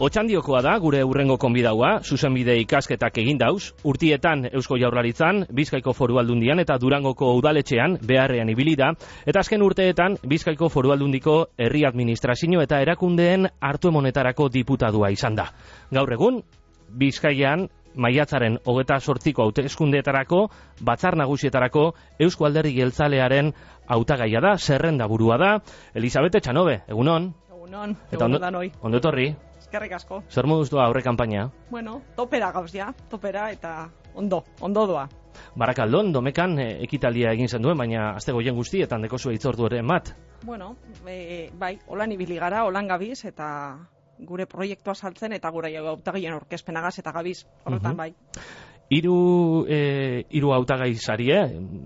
Otxandiokoa da gure urrengo konbidaua, zuzenbide ikasketak egin dauz, urtietan Eusko Jaurlaritzan, Bizkaiko Foru Aldundian eta Durangoko udaletxean beharrean ibili da, eta azken urteetan Bizkaiko Foru Aldundiko herri administrazio eta erakundeen hartuemonetarako diputadua izan da. Gaur egun, Bizkaian maiatzaren 28ko hauteskundeetarako, batzar nagusietarako Eusko Alderdi Jeltzalearen hautagaia da, zerrendaburua da. Elisabete Etxanobe, egunon. Egunon, eta ondo etorri. Eskerrik asko. Zer moduz doa aurre kanpaina? Bueno, topera gauz ja, topera eta ondo doa. Barakaldon, Domekan ekitaldia egin zen duen, baina azte goien guztietan dekozu hitzordu ere bat. Bueno, bai, holan ibili gara, holan gabiz, eta gure proiektua saltzen, eta gure hautagaien aurkezpenagaz eta gabiz, horretan bai. Hiru hautagai sarie,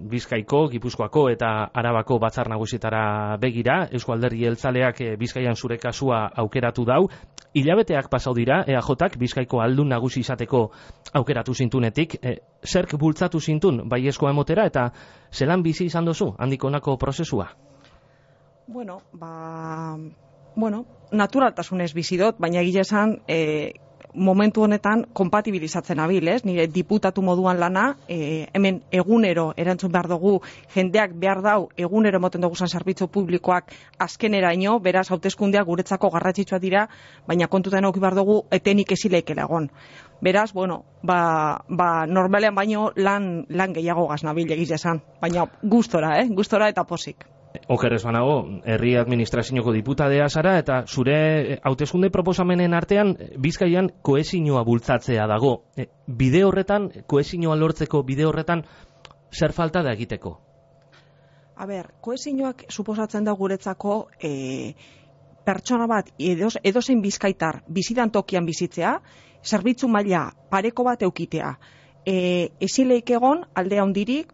Bizkaiko, Gipuzkoako eta Arabako batzar nagusietara begira, Eusko Alderdi Jeltzaleak Bizkaian zure kasua aukeratu dau. Hilabeteak pasau dira, EAJak Bizkaiko aldun nagusi izateko aukeratu zintunetik. Zerk bultzatu zintun baiezkoa emotera eta zelan bizi izan dozu handik honako prozesua? Bueno, naturaltasunez bizi dut, baina egia esan momentu honetan kompatibilizatzen abil, ez? Nire diputatu moduan lana, hemen egunero erantzun behar dugu, jendeak behar dau, egunero moten dugu zerbitzu publikoak azkeneraino, beraz hauteskundeak guretzako garrantzitsua dira, baina kontutan eduki behar dugu etenik ezileikela egon. Beraz, bueno, normalean baino lan gehiago gaznabil egiz esan, baina gustora eta posik. Okerrez banago, herri administrazioko diputadea zara eta zure hauteskunde proposamenen artean Bizkaian kohesioa bultzatzea dago. Bide horretan, kohesioa lortzeko bide horretan, zer falta da egiteko? A ber, kohesioak suposatzen da guretzako pertsona bat edozein bizkaitar bizidan tokian bizitzea, zerbitzu maila pareko bat eukitea. Ezileik egon aldea hondirik,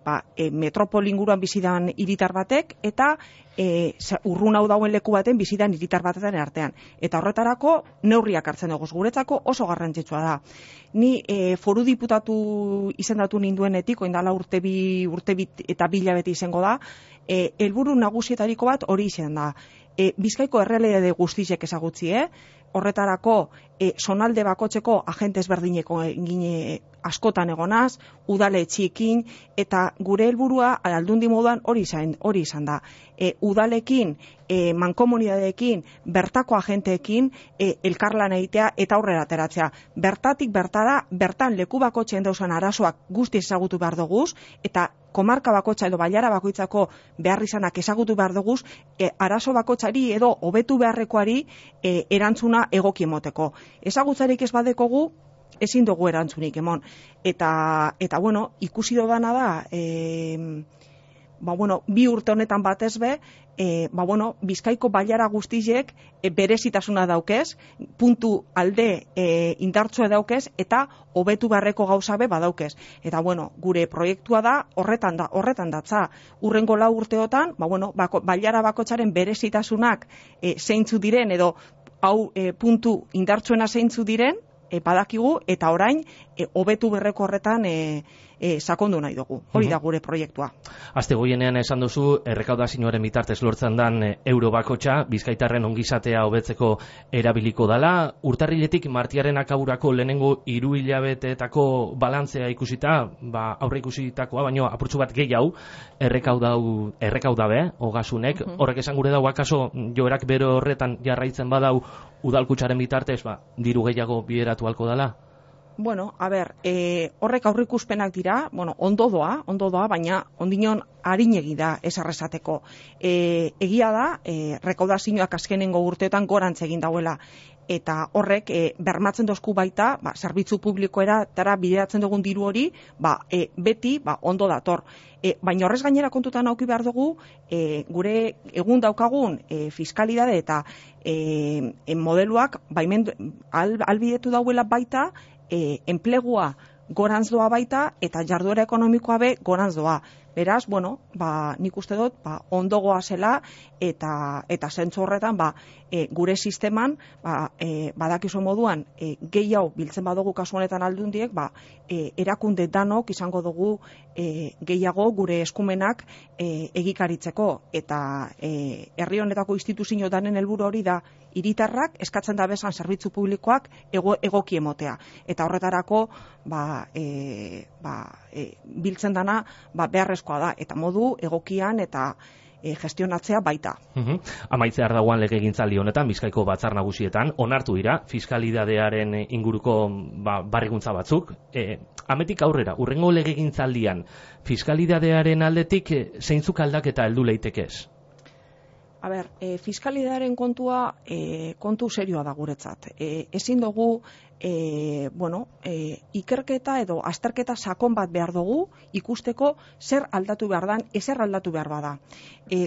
metropol inguruan bizidan hiritar batek eta urrun hau dauen leku baten bizidan hiritar batetan artean. Eta horretarako neurriak hartzen dugu, guretzako oso garrantzitsua da. Ni foru diputatu izendatu ninduenetik, oindala urte bi eta bilabete izango da, helburu nagusietariko bat hori izan da. Bizkaiko errealitate guztiek ezagutzi, horretarako zonalde bakotzeko agente ezberdineko askotan egonaz, udaletxeekin, eta gure helburua aldundi moduan hori izan da. Udalekin, mankomunidadeekin, bertako agenteekin elkarlan egitea eta aurrera ateratzea. Bertatik bertara, bertan leku bakotzen dauzan arazoak guzti ezagutu behar duguz, eta komarka bakotxa edo bailara bakoitzako behar izanak ezagutu behar duguz, arazo bakotxari edo hobetu beharrekoari erantzuna egoki emoteko. Ezagutzarik ez badekogu, ezin dugu erantzunik emon. Eta bueno, ikusi dodana da, bi urte honetan batez be, Bizkaiko bailara guztiek berezitasuna daukez, puntu alde indartsua daukez, eta hobetu beharreko gauza be badaukez. Eta bueno, gure proiektua da horretan datza. Urrengo 4 urteotan, bailara bakotzaren berezitasunak zeintzu diren edo hau puntu indartsuena zeintzu diren, badakigu eta orain hobetu berreko horretan sakondu nahi dugu. Hori da gure proiektua. Azte goienean esan duzu, errekaudazioaren bitartez lortzen dan euro bakotxa, bizkaitarren ongizatea hobetzeko erabiliko dala. Urtarriletik martiaren akaburako lehenengo 3 hilabeteetako balantzea ikusita, aurre ikusitakoa, baino apurtxu bat gehiago, errekaudabe, ogasunek. Horrek esan gure dau, akaso joerak bero horretan jarraitzen badau udalkutsaren bitartez, diru gehiago bideratu halko dala? Bueno, a ber, horrek aurrikuspenak dira, ondo doa, baina ondinon harinegi da esarrezateko. Egia da, rekaudazioak azkenengo urteetan gorantz egin dauela, eta horrek bermatzen dozku baita, zerbitzu publikoera tara bideratzen dugun diru hori, beti ondo dator. Baina horrez gainera kontutan auki behar dugu, gure egun daukagun fiskalidade eta modeluak albidetu dauela baita, enplegua gorantz doa baita eta jarduera ekonomikoa be gorantz doa. Beraz, bueno, nik uste dut, ondogoa zela eta zentzu horretan, gure sisteman, badakizu moduan, gehiago biltzen badugu kasu honetan aldundiek, erakunde danok izango dugu gehiago gure eskumenak egikaritzeko, eta herri honetako instituzio danen helburu hori da, hiritarrak eskatzen da bezan zerbitzu publikoak egoki emotea. Eta horretarako biltzen dana beharrezkoa da, eta modu egokian eta gestionatzea baita. Amaitzear dagoan legegintzaldi honetan, Bizkaiko batzar nagusietan, onartu dira fiskalidadearen inguruko barriguntza batzuk. Ametik aurrera, urrengo legegintzaldian, fiskalidadearen aldetik zeintzuk aldaketa heldu leitekez? Fiskalidadearen kontua kontu serioa da guretzat. Ezin dugu ikerketa edo azterketa sakon bat behar dugu ikusteko zer aldatu behar dan, ezer aldatu behar bada.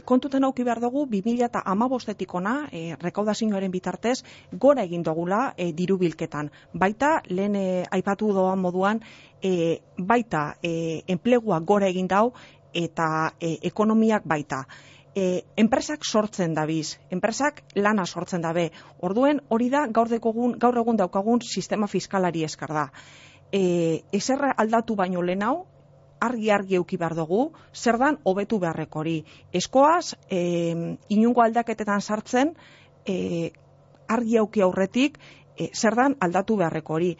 Kontutan auki behar dugu 2015-etik ona, rekaudazioaren bitartez, gora egin dugula diru bilketan. Baita, lehen aipatu doan moduan, baita enplegua gora egin dau eta ekonomiak baita. Enpresak sortzen dabiz, enpresak lana sortzen dabe. Orduen hori da gaur egun daukagun sistema fiskalari eskar da. Ezer aldatu baino lehenau, argi euki behar dugu, zer dan hobetu beharreko hori. Eskoaz, inungo aldaketetan sartzen, argi auki aurretik, zer dan aldatu beharreko hori.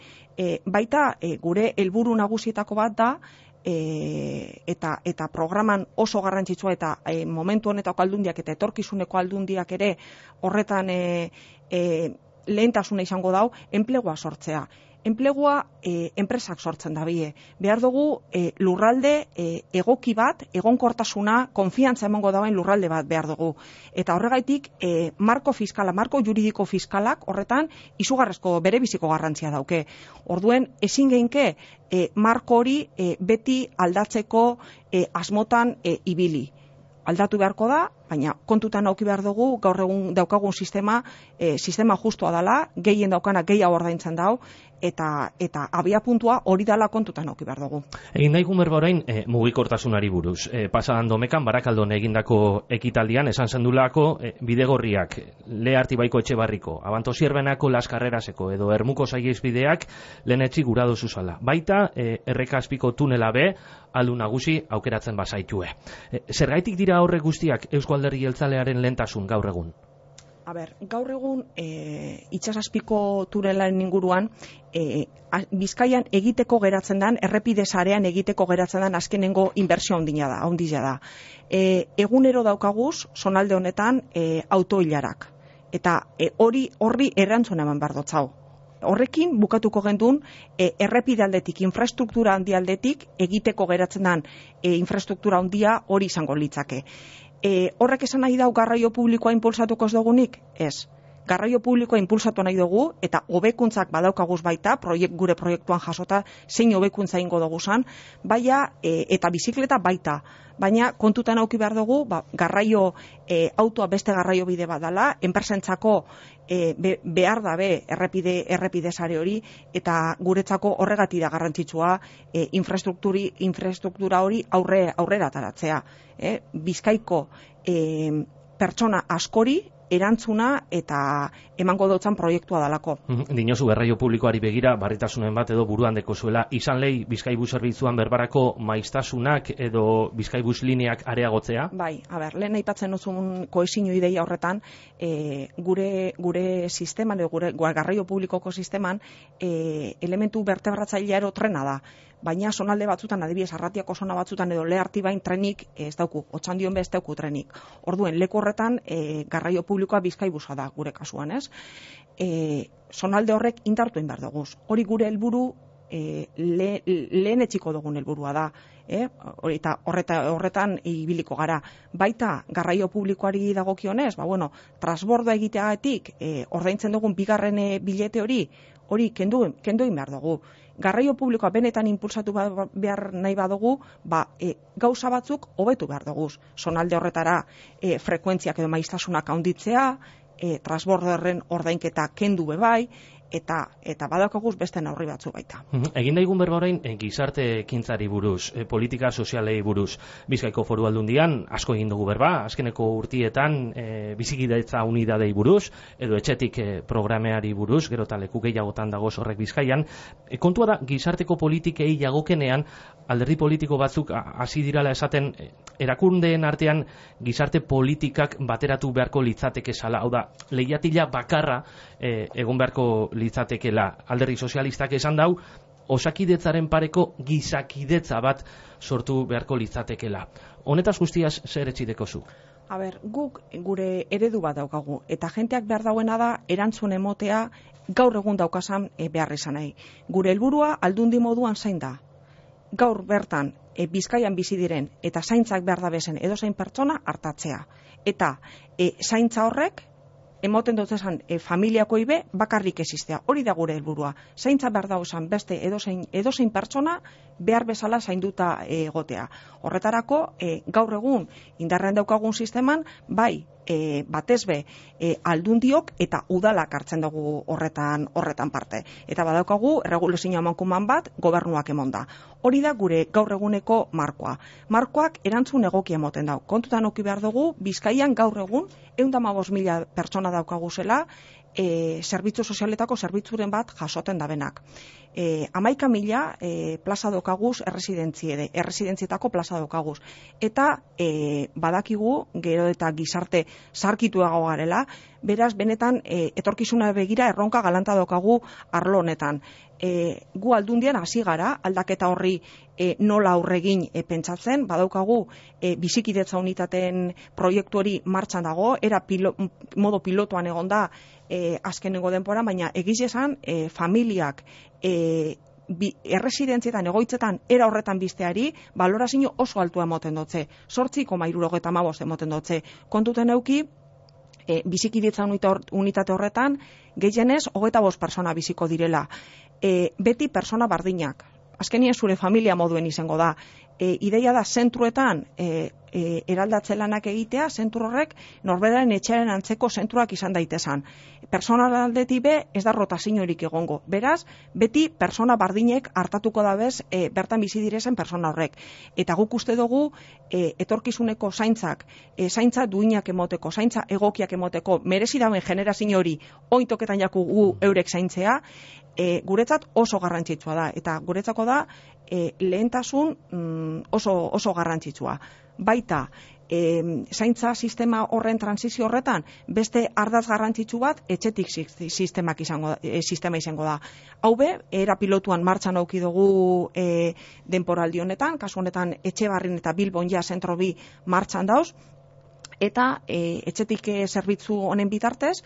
Baita, gure helburu nagusietako bat da, eta programan oso garrantzitsua eta momentu honetako aldundiak eta etorkizuneko aldundiak ere horretan lehentasuna izango dau, enplegua sortzea. Enplegua enpresak sortzen dabie. Behar dugu lurralde egoki bat, egonkortasuna, konfiantza emango dauen lurralde bat behar dugu. Eta horregaitik marko juridiko fiskalak horretan izugarrezko berebiziko garrantzia dauke. Orduen ezin geinke marko hori beti aldatzeko asmotan ibili. Aldatu beharko da, baina kontutan auki behar dugu, gaur egun daukagun sistema justua dela, gehien daukana gehiago ordaintzen dau, eta abia puntua hori dela kontutan auki behar dugu. Egin daigun berba orain mugikortasunari buruz. Pasadan Domekan, Barakaldon egindako ekitaldian, esan zendulako bidegorriak, Lehartibaiko Etxebarriko, Abantosierbenako Las Carreraseko edo Ermuko Saihesbideak lehenetzi gura dozu zala. Baita, Errekazpiko tunela be, aldu nagusi aukeratzen bazaitue. Zergaitik dira horrek guztiak Eusko Alderdi Jeltzalearen lehentasun gaur egun? Gaur egun itsasazpiko tunelaren inguruan Bizkaian egiteko geratzen den, errepide sarean egiteko geratzen den azkenengo inbertsio handia da. Egunero daukaguz, zonalde honetan autoilarak. Eta horri erantzun eman behar dotzau. Horrekin bukatuko gendun errepide aldetik, infrastruktura handi aldetik egiteko geratzen den infrastruktura handia hori izango litzake. Horrek esan nahi dau garraio publikoa impulsatuko ez dugunik? Ez. Garraio publikoa impulsatu nahi dugu eta hobekuntzak badaukaguz baita, gure proiektuan jasota zein hobekuntza ingo duguzan, eta bizikleta baita. Baina kontutan auki behar dugu, garraio autoa beste garraio bide bat dela, enpresentzako behar dabe errepide sare hori, eta guretzako horregatik da garrantzitsua infrastruktura hori aurrera ataratzea. Bizkaiko pertsona askori erantzuna eta emango dutzen proiektua dalako. Dinozu garraio publikoari begira, barritasunen bat edo buruan dekozuela, izan lehi Bizkaibus zerbitzuan berbarako maiztasunak edo Bizkaibus lineak areagotzea? Bai, lehen aipatzen duzun kohesio ideia horretan, gure sisteman, gure garraio publikoko sisteman, elementu vertebratzailea trena da. Baina zonalde batzutan, adibidez, Arratiako zona batzutan edo Lehartibain trenik ez dauku, Otxandion be ez dauku trenik. Orduen, leku horretan garraio publikoa Bizkaibusa da gure kasuan, ez? Zonalde horrek indartuen behar dugu. Hori gure helburu lehen etxiko dugun helburua da. Eta horretan ibiliko gara. Baita garraio publikoari dagokionez, transbordoa egiteagatik ordaintzen dugun bigarren bilete hori kendu egin behar dugu. Garraio publikoa benetan impulsatu behar nahi badugu, gauza batzuk hobetu behar dugu. Zonalde horretara frekuentziak edo maiztasunak handitzea, transbordoaren ordainketa kendu bebai, eta badaukaguz beste neurri batzu baita. Egin daigun berba orain gizarte ekintzari buruz, politika sozialei buruz. Bizkaiko Foru Aldundian asko egin dugu berba, azkeneko urtietan bizikidetza unidadei buruz, edo etxetik programeari buruz, gero eta leku gehiagotan dago horrek Bizkaian. Kontua da, gizarteko politikei jagokenean, alderdi politiko batzuk hasi dirala esaten, erakundeen artean gizarte politikak bateratu beharko litzateke zala, hau da, lehiatila bakarra egon beharko litzatekela. Alderdi sozialistak esan dau, osakidetzaren pareko gizakidetza bat sortu beharko litzatekela. Honetaz guztiaz zer etxideko zu? Guk gure eredu bat daukagu, eta jenteak behar dauena da erantzun emotea gaur egun daukasan behar izan nahi. Gure helburua aldundi moduan zain da. Gaur bertan Bizkaian bizi diren eta zaintzak behar da bezen edozein pertsona hartatzea. Eta zaintza horrek emoten dut esan familiakoi be bakarrik existea. Hori da gure helburua. Zaintza behar da esan beste edozein pertsona behar bezala zainduta egotea. Horretarako gaur egun indarrean daukagun sisteman bai batez be aldundiok eta udalak hartzen dugu horretan parte. Eta badaukagu erregulazio amankuman bat gobernuak emonda. Hori da gure gaur eguneko markoa. Markoak erantzun egokia emoten dau. Kontutan eduki behar dugu Bizkaian gaur egun 115.000 pertsona daukagu zela zerbitzu sozialetako zerbitzuren bat jasoten dabenak. 11.000 plaza daukaguz erresidentzietako plaza daukaguz. Eta badakigu gero eta gizarte zarkituago garela, beraz benetan etorkizuna begira erronka galanta daukagu arlo honetan. Gu aldundian hasi gara, aldaketa horri nola aurregin pentsatzen, badaukagu bizikidetza unitateen proiektu hori martxan dago, modo pilotuan egon da azkenengo denbora, baina egiz esan familiak erresidentzietan egoitzetan era horretan bizteari balorazio oso altua emoten dutze, 8,75 emoten dutze. Kontuten euki bizikidetza unitate horretan gehienez 25 persona biziko direla. Beti persona bardinak. Azkenien zure familia moduen izango da. Ideia da zentruetan eraldatze lanak egitea, zentru horrek norberaren etxearen antzeko zentruak izan daitezan. Personal aldetik be ez da rotaziorik egongo. Beraz, beti persona bardinek hartatuko da bez bertan bizi direzen persona horrek. Eta guk uste dugu etorkizuneko zaintza duinak emoteko, zaintza egokiak emoteko, merezi dauen generazio hori ointoketan jakugu eurek zaintzea, guretzat oso garrantzitsua da. Eta guretzako da lehentasun oso garrantzitsua. Baita, zaintza sistema horren transizio horretan, beste ardaz garrantzitsu bat etxetik sistema izango da. Hau be, era pilotuan martxan auki dugu denporaldi honetan, kasu honetan Etxebarrin eta Bilbon ja zentro bi martxan dauz, eta etxetik zerbitzu honen bitartez,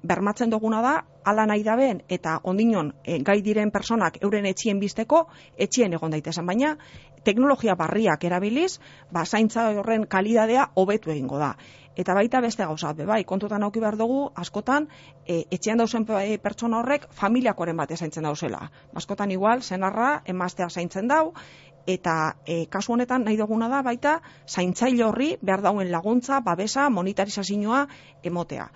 bermatzen duguna da, ala nahi daben eta ondinon gai diren personak euren etxien bizteko, etxien egon daitezen, baina teknologia barriak erabiliz, zaintza horren kalidadea hobetu egingo da. Eta baita beste gauza, bai, kontutan auki behar dugu, askotan, etxean dauzen pertsona horrek familiakoren bat zaintzen dauzela. Askotan igual, senarra, emaztea zaintzen dau, eta kasu honetan nahi duguna da baita zaintzaile horri behar dauen laguntza, babesa, monetarizazioa emotea.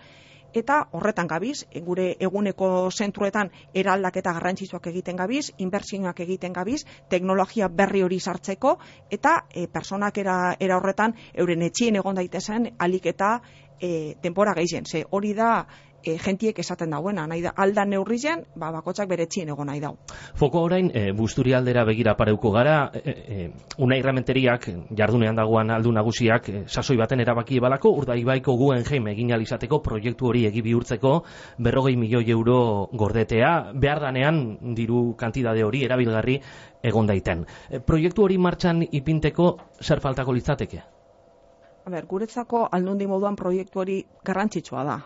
Eta horretan gabiz, gure eguneko zentruetan eraldaketa garrantzitsuak egiten gabiz, inbertsioak egiten gabiz, teknologia berri hori sartzeko, eta personak era horretan euren etxien egon daitezen alik eta denbora gehien. Ze hori da jentiek esaten dauena, nahi da aldan neurrizen, bakotxak bere etxien egon nahi dau. Foko orain, Busturi aldera begira pareuko gara, Unai Rementeriak, jardunean dagoan aldu nagusiak, sasoi baten erabaki ebalako, Urdaibaiko Guggenheim egin alizateko proiektu hori egi bihurtzeko 40 milioi euro gordetea, behar danean diru kantidade hori erabilgarri egon daiten. Proiektu hori martxan ipinteko zer faltako litzateke? Guretzako aldundi moduan proiektu hori garrantzitsua da.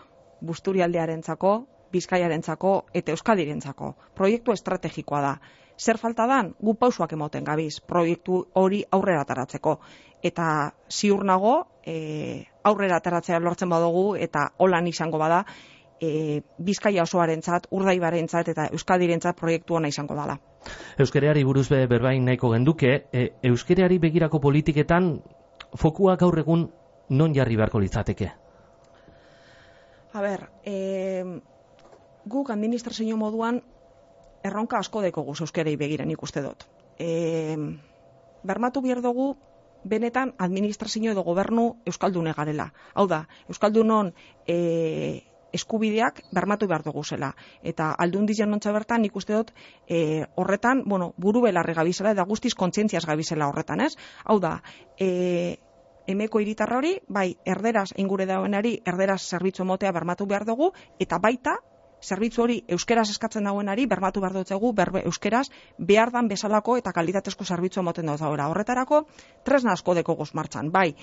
Busturialdearentzako, Bizkaiarentzako eta Euskadirentzako. Proiektu estrategikoa da. Zer falta dan? Gu pausuak emoten gabiz proiektu hori aurrera ataratzeko. Eta ziur nago, aurrera ataratzea lortzen badugu eta holan izango bada, Bizkaia osoarentzat, Urdaibarentzat eta Euskadirentzat proiektu ona izango dela. Euskarari buruz berbain nahiko genduke, euskarari begirako politiketan fokua gaur egun non jarri beharko litzateke? Guk administrazio moduan erronka asko dekogu euskerei begira nik uste dut. Bermatu behar dugu benetan administrazio edo gobernu euskaldune garela. Hau da, euskaldunon eskubideak bermatu behar dugu zela. Eta Aldundi janontza bertan nik uste dut horretan, buru belarri gabizela eta guztiz kontzientziaz gabizela horretan, ez? Hau da, emeko hiritarra hori, bai, erderaz ingure dauenari, erderaz zerbitzu emotea bermatu behar dugu, eta baita, zerbitzu hori euskeraz eskatzen dauenari, bermatu behar dutzegu, euskeraz behar dan bezalako eta kalitatezko zerbitzu emoten dut daura. Horretarako, tresna asko dekoguz martxan, bai,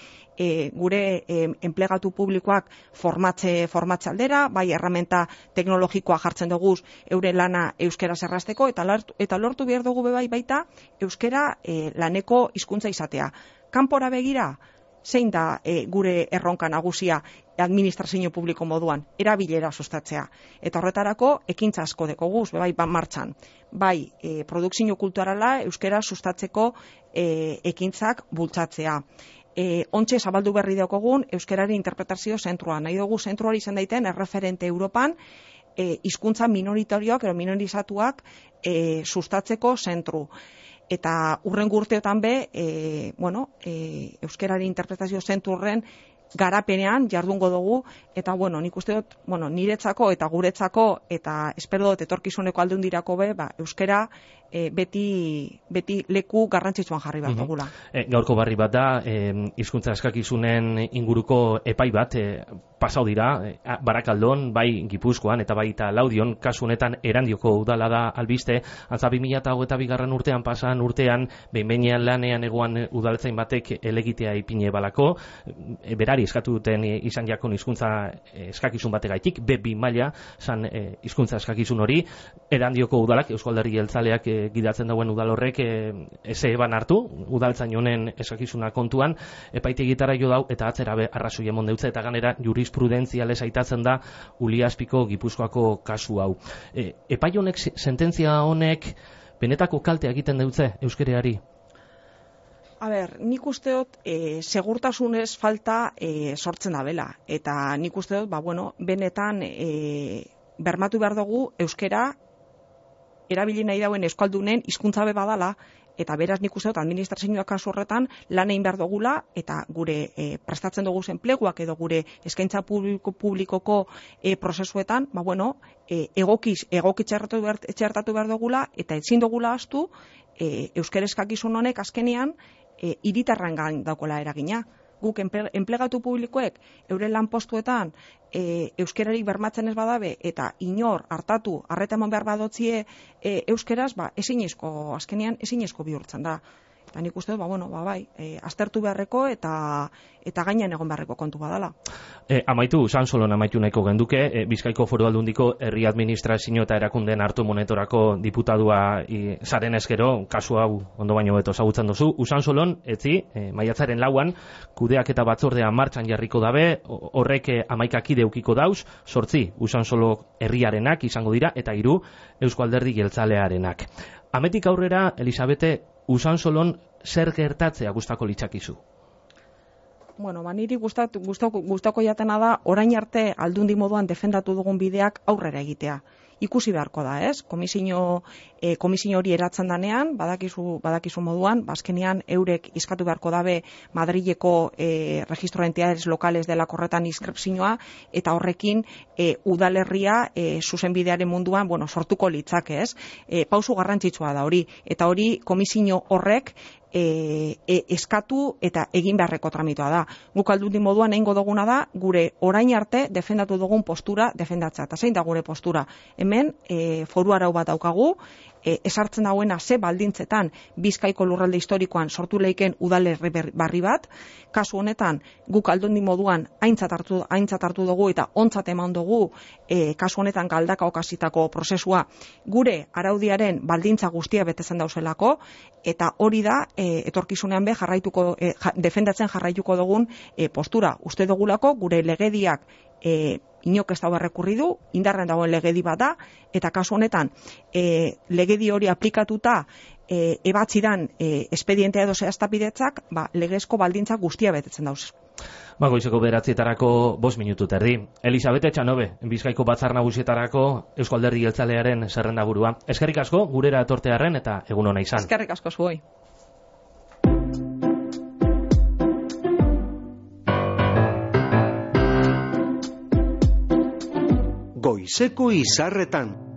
gure enplegatu publikoak formatze aldera, bai, erramenta teknologikoa jartzen duguz eure lana euskeraz errazteko, eta lortu behar dugu bai baita euskera laneko hizkuntza izatea. Kanpora begira, zein da gure erronka nagusia administrazio publiko moduan, erabilera sustatzea. Eta horretarako, ekintza asko dekoguz, bai, martxan. Bai, produkzio kulturala euskera sustatzeko ekintzak bultzatzea. Ontxe zabaldu berri daukogun euskerari interpretazio zentrua. Nahi dugu zentruari izan daiten erreferente Europan hizkuntza minoritarioak edo minorizatuak sustatzeko zentru. Eta hurrengo urteotan be, euskerari interpretazio zentru horren garapenean jardungo dugu, eta nik uste dut, niretzako eta guretzako, eta espero dut etorkizuneko aldundirako be, euskera beti leku garrantzitsuan jarri bat dugula. Gaurko barri bat da, hizkuntza eskakizunen inguruko epai bat, pasau dira, Barakaldon, bai Gipuzkoan eta baita Laudion, kasu honetan Erandioko udala da albiste, antza 2022 urtean pasan urtean, behin-behinean lanean egoan udaltzain batek elegitea ipine balako, berari eskatu duten izan jakon hizkuntza eskakizun bategaitik, B2 maila, zan hizkuntza eskakizun hori, Erandioko udalak, Eusko Alderdi Jeltzaleak gidatzen dauen udal horrek eze eban hartu, udaltzain honen eskakizuna kontuan, epaitegitara jo dau, eta atzera arrazoi emon deutze, eta ganera jurisprudentzialez aitatzen da Uliaspiko Gipuzkoako kasu hau. Epai honek, sententzia honek, benetako kalte egiten deutze euskereari? Nik uste dut, segurtasunez falta sortzen da bela. Eta nik uste dut, benetan bermatu behar dugu euskera erabili nahi dauen euskaldunen hizkuntza be badala, eta beraz nik uste dut administrazioak kasu horretan lan egin behar dugula, eta gure prestatzen dugu enpleguak edo gure eskaintza publikoko prozesuetan, egoki txertatu behar dugula, eta ezin dugula astu euskera eskakizun honek azkenean hiritarren gain daukola eragina. Guk enplegatu publikoek euren lanpostuetan euskerarik bermatzen ez badabe eta inor hartatu arreta eman behar badotzie euskeraz, azkenean ezinezko bihurtzen da. Eta nik uste dut, aztertu beharreko eta gainean egon beharreko kontu badala. Amaitu, Usansolon amaitu nahiko genduke, Bizkaiko Foru Aldundiko herri administrazio eta erakundeen hartu monetorako diputadua zaren eskero, kasu hau ondo baino beto ezagutzen duzu. Usansolon, maiatzaren 4an, kudeaketa batzordea martxan jarriko dabe, horrek 11 kide eukiko dauz, 8 Usansolo herriarenak izango dira, eta 3 Eusko Alderdi Jeltzalearenak. Ametik aurrera, Elisabete, Usansolon zer gertatzea gustako litzakizu? Niri gustako jatena da, orain arte aldundi moduan defendatu dugun bideak aurrera egitea. Ikusi beharko da, ez? Komisio hori eratzen danean, badakizu moduan, azkenean eurek iskatu beharko dabe Madrileko registro de entidades locales dela korretan inskripzioa, eta horrekin udalerria zuzenbidearen munduan, sortuko litzake, ez? Pausu garrantzitsua da hori, eta hori komisio horrek eskatu eta egin beharreko tramitua da. Guk aldundi moduan egingo duguna da, gure orain arte defendatu dugun postura defendatzea. Eta zein da gure postura? Hemen foru arau bat daukagu, esartzen dauena ze baldintzetan Bizkaiko lurralde historikoan sortu leiken udalerri barri bat. Kasu honetan guk aldundi moduan aintzat hartu dugu eta ontzat eman dugu kasu honetan Galdaka okasitako prozesua gure araudiaren baldintza guztia betetzen dauzelako, eta hori da etorkizunean defendatzen jarraituko dugun postura. Uste dugulako gure legediak inok ez dago errekurridu, indarren dagoen legedi bat da, eta kasu honetan legedi hori aplikatuta ebatzidan espedientea edo zehaztapidetzak, legezko baldintza guztia betetzen dauz. Goizeko 9:00 5 minutu terdi. Elisabete Etxanobe, Bizkaiko Batzar Nagusietarako Eusko Alderdi Jeltzalearen zerrendaburua. Eskerrik asko gurera etortearren eta egun ona izan. Eskerrik asko zuoi. Goizeko izarretan.